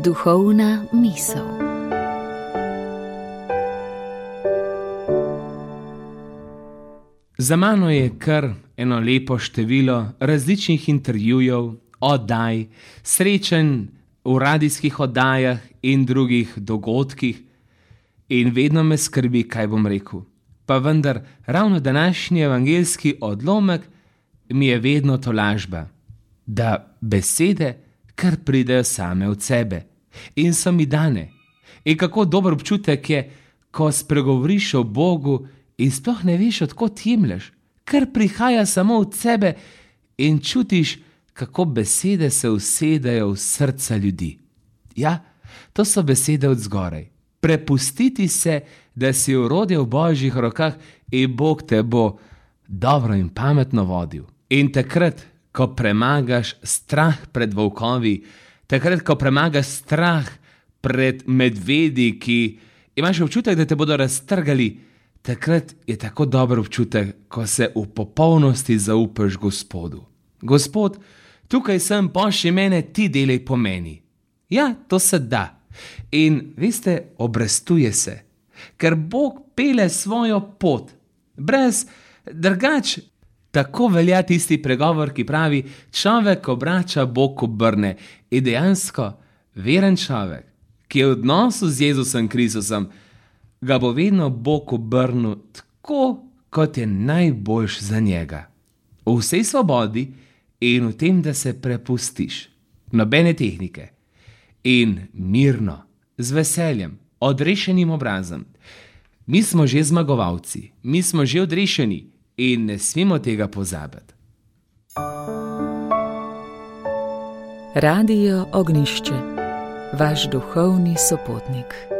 Duhovna misel. Za mano je kar eno lepo število različnih intervjujev, oddaj, srečanj v radijskih oddajah in drugih dogodkih in vedno me skrbi, kaj bom rekel. Pa vendar ravno današnji evangeljski odlomek mi je vedno tolažba, da besede kar pridejo same od sebe in so mi dane. In kako dober občutek je, ko spregovoriš o Bogu in sploh ne veš, od kod jemlješ, kar prihaja samo od sebe in čutiš, kako besede se usedejo v srca ljudi. Ja, to so besede od zgoraj. Prepustiti se, da si orodje v Božjih rokah in Bog te bo dobro in pametno vodil. In takrat, ko premagaš strah pred volkovi, takrat, ko premagaš strah pred medvedi, ki imaš občutek, da te bodo raztrgali, takrat je tako dober občutek, ko se v popolnosti zaupaš Gospodu. Gospod, tukaj sem, pošlji mene, ti delaj po meni. Ja, to se da. In veste, obrestuje se, ker Bog pele svojo pot. Brez drugač, tako velja tisti pregovor, ki pravi, človek obrača, Bog obrne. In dejansko, veren človek, ki je v odnosu z Jezusom Kristusom, ga bo vedno Bog obrnil tako, kot je najboljš za njega. V vsej svobodi in v tem, da se prepustiš. Nobene tehnike. In mirno, z veseljem, odrešenim obrazom. Mi smo že zmagovalci, mi smo že odrešeni in ne smemo tega pozabiti. Radio Ognjišče, vaš duhovni sopotnik.